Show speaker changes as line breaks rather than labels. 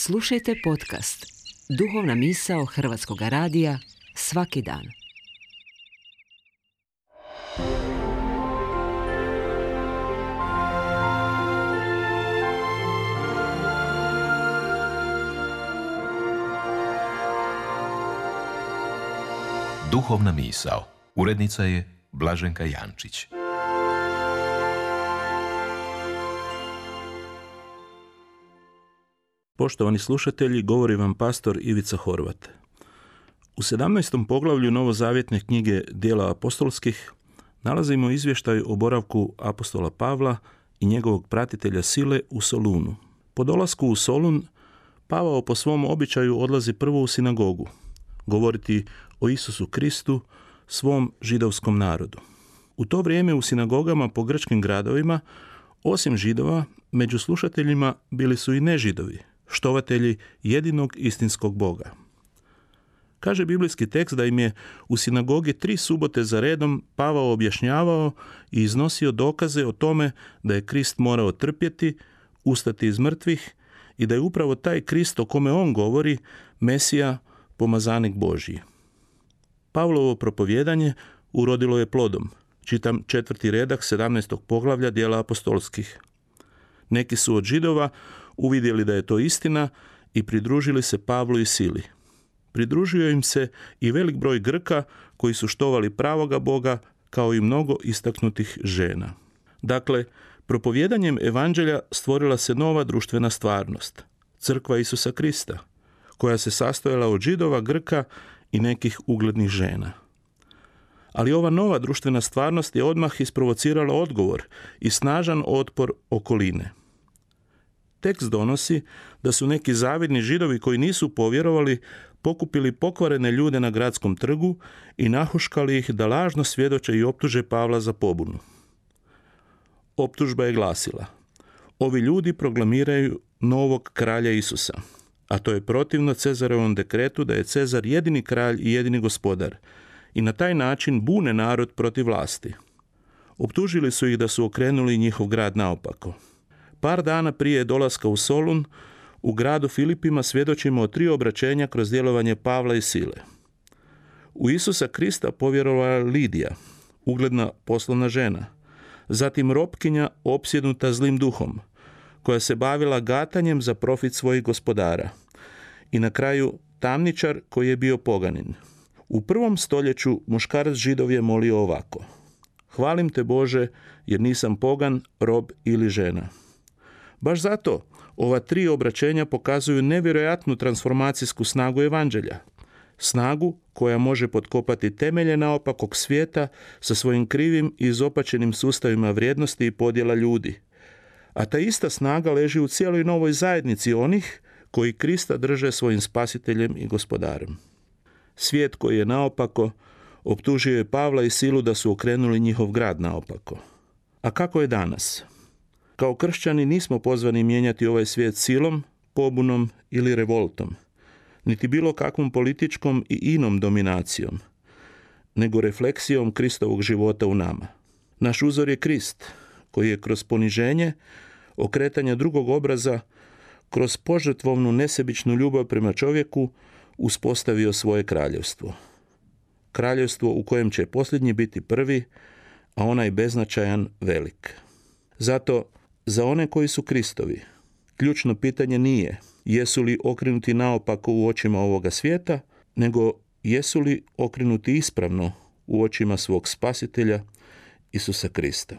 Slušajte podcast Duhovna misao Hrvatskog radija svaki dan.
Duhovna misao. Urednica je Blaženka Jančić.
Poštovani slušatelji, govori vam pastor Ivica Horvat. U 17. poglavlju novozavjetne knjige Djela apostolskih nalazimo izvještaj o boravku apostola Pavla i njegovog pratitelja Sile u Solunu. Po dolasku u Solun, Pavao po svom običaju odlazi prvo u sinagogu, govoriti o Isusu Kristu, svom židovskom narodu. U to vrijeme u sinagogama po grčkim gradovima, osim Židova, među slušateljima bili su i nežidovi, štovatelji jedinog istinskog Boga. Kaže biblijski tekst da im je u sinagogi 3 subote za redom Pavao objašnjavao i iznosio dokaze o tome da je Krist morao trpjeti, ustati iz mrtvih i da je upravo taj Krist o kome on govori Mesija, pomazanik Božji. Pavlovo propovijedanje urodilo je plodom. Čitam 4. redak 17. poglavlja Djela apostolskih. Neki su od Židova uvidjeli da je to istina i pridružili se Pavlu i Sili. Pridružio im se i velik broj Grka koji su štovali pravoga Boga, kao i mnogo istaknutih žena. Dakle, propovijedanjem evanđelja stvorila se nova društvena stvarnost, crkva Isusa Krista, koja se sastojala od Židova, Grka i nekih uglednih žena. Ali ova nova društvena stvarnost je odmah isprovocirala odgovor i snažan otpor okoline. Tekst donosi da su neki zavidni Židovi koji nisu povjerovali pokupili pokvarene ljude na gradskom trgu i nahuškali ih da lažno svjedoče i optuže Pavla za pobunu. Optužba je glasila: ovi ljudi proklamiraju novog kralja Isusa, a to je protivno Cezarevom dekretu da je Cezar jedini kralj i jedini gospodar, i na taj način bune narod protiv vlasti. Optužili su ih da su okrenuli njihov grad naopako. Par dana prije dolaska u Solun, u gradu Filipima svjedočimo o 3 obraćenja kroz djelovanje Pavla i Sile. U Isusa Krista povjerovala Lidija, ugledna poslovna žena, zatim ropkinja opsjednuta zlim duhom, koja se bavila gatanjem za profit svojih gospodara, i na kraju tamničar koji je bio poganin. U 1. stoljeću muškarac Židov je molio ovako: hvalim te Bože, jer nisam pogan, rob ili žena. Baš zato ova 3 obraćenja pokazuju nevjerojatnu transformacijsku snagu evanđelja. Snagu koja može potkopati temelje naopakog svijeta sa svojim krivim i izopačenim sustavima vrijednosti i podjela ljudi. A ta ista snaga leži u cijeloj novoj zajednici onih koji Krista drže svojim spasiteljem i gospodarem. Svijet koji je naopako optužio je Pavla i Silu da su okrenuli njihov grad naopako. A kako je danas? Kao kršćani nismo pozvani mijenjati ovaj svijet silom, pobunom ili revoltom, niti bilo kakvom političkom i inom dominacijom, nego refleksijom Kristovog života u nama. Naš uzor je Krist, koji je kroz poniženje, okretanje drugog obraza, kroz požrtvovnu nesebičnu ljubav prema čovjeku uspostavio svoje kraljevstvo. Kraljevstvo u kojem će posljednji biti prvi, a onaj beznačajan velik. Zato, za one koji su Kristovi, ključno pitanje nije jesu li okrenuti naopako u očima ovoga svijeta, nego jesu li okrenuti ispravno u očima svog spasitelja Isusa Krista.